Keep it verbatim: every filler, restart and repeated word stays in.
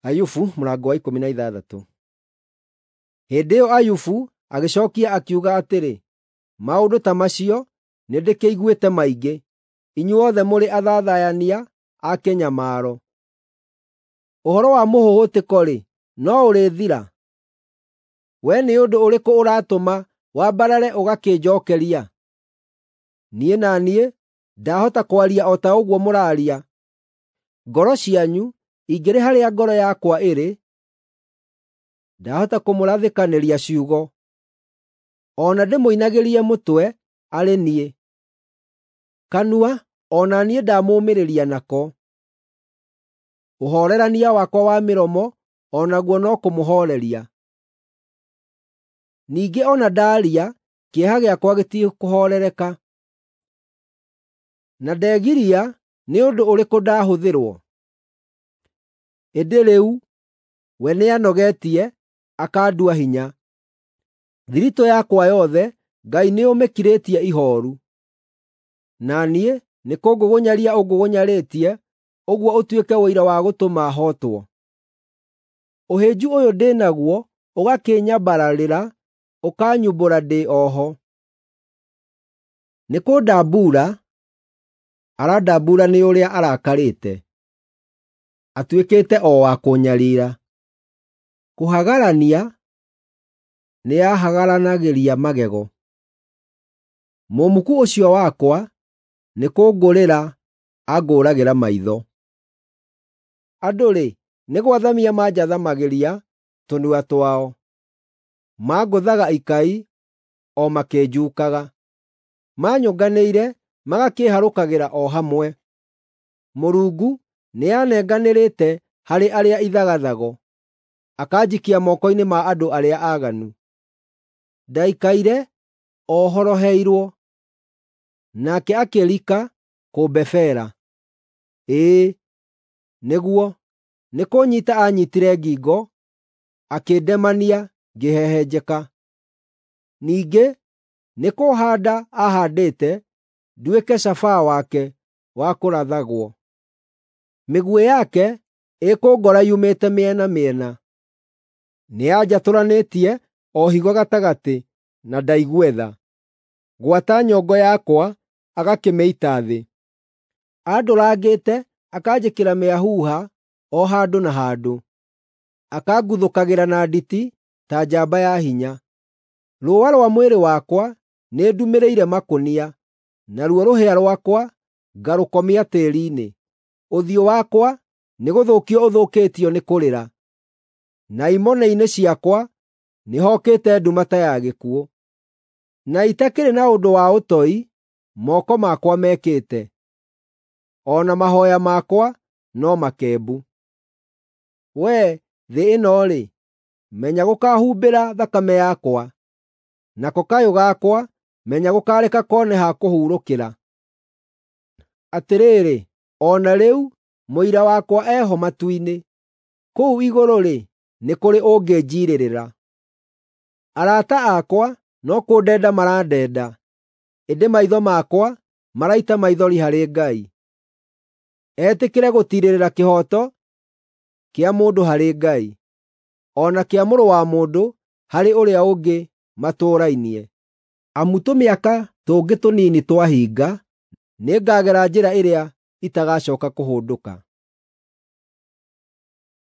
Ayubu mũrango wa ikũmi na ithathatũ. Hĩndĩ ĩyo Ayubu agĩcookia akiuga atĩrĩ, “Maũndũ ta macio nĩndĩkĩiguĩte maingĩ; inyuothe mũrĩ athathayania a kĩnyamaro. Ũhoro wa mũhũhũtĩko-rĩ, no ũrĩthira? Wee nĩ ũndũ ũrĩkũ ũratũma wambarare ũgakĩnjookeria? Niĩ na niĩ ndahota kwaria o ta ũguo mũraaria; ngoro cianyu ingĩrĩ harĩa ngoro yakwa ĩrĩ, ndahota kũmũrathĩkanĩria ciugo, o na ndĩmũinagĩrie mũtwe arĩ niĩ. Kanua o na niĩ ndamũũmĩrĩria nako; ũhoorerania wakwa wa mĩromo o naguo no kũmũhooreria. Ningĩ o na ndaaria, kĩeha gĩakwa gĩtikũhoorereka. Na ndegiria nĩ ũndũ ũrĩkũ ndahũthĩrwo? Ĩndĩ rĩu we nĩanogetie, akandua hinya. Thiritũ yakwa yothe Ngai nĩũmĩkirĩtie ihooru. Na niĩ nĩkũngũgũnyaria ũngũgũnyarĩtie ũguo ũtuĩke ũira wa gũtũma hootwo. Ũhĩnju ũyũ ndĩ naguo ũgakĩnyambararĩra, ũkanyumbũra ndĩ o ho. Nĩkũndambuura arandambuura nĩ ũrĩa arakarĩte, atuĩkĩte o wa kũnyariira. Kũhagarania nĩahagaranagĩria magego. Mũmuku ũcio wakwa nĩkũngũrĩra angũragĩra maitho. Andũ-rĩ, nĩ gwathamia manjathamagĩria tũnua twao; mangũthaga ikai o makĩnjuukaga. Manyũnganĩire magakĩĩharũkagĩra o hamwe. Mũrungu nĩanenganĩrĩte harĩ arĩa ithagathago, akanjikia moko-inĩ ma andũ arĩa aaganu. Ndaikaire o horoheirwo, nake akĩrika kũmbebera. Ĩĩ, nĩguo, nĩkũnyiita aanyiitire ngingo, akĩndemania ngĩhehenjeka. Ningĩ nĩkũũhaanda aahaandĩte nduĩke cabaa wake wa kũrathagwo. Mĩguĩ yake ĩkũngora yumĩte mĩena mĩena. Nĩanjatũranĩtie o higo gatagatĩ na ndaigue tha; gwata nyongo yakwa agakĩmĩita thĩ. Andũrangĩte akanjĩkĩra mĩahuha o handũ na handũ, akanguthũkagĩra na nditi ta njamba ya hinya. Rũũa rwa mwĩrĩ wakwa nĩndumĩrĩire makũnia, naruo rũhĩa rwakwa ngarũkomia tĩĩri-inĩ. Ũthiũ wakwa nĩgũthũkio ũthũkĩtio nĩ kũrĩra, na imone-inĩ ciakwa nĩhokĩte nduma ta ya gĩkuũ. Na itakĩrĩ na ũndũ wa ũtoi moko makwa mekĩte, o na mahooya makwa no makembu. Wee thĩ ĩno-rĩ, menya gũkaahumbĩra thakame yakwa, nako kayũ gakwa menya gũkareka kone ha kũhurũkĩra. Atĩrĩrĩ, o na rĩu mũira wakwa eho matu-inĩ; kũu igũrũ-rĩ, nĩ kũrĩ ũngĩnjiirĩrĩra. Arata akwa no kũndenda marandenda, ĩndĩ maitho makwa maraita maithori harĩ Ngai. Etĩkĩre gũtiirĩrĩra kĩhooto kĩa mũndũ harĩ Ngai, o na kĩa mũrũ wa mũndũ harĩ ũrĩa ũngĩ matũũrainie. Amu tũmĩaka tũngĩ tũnini twahinga, nĩngagera njĩra ĩrĩa itagacooka kũhũndũka.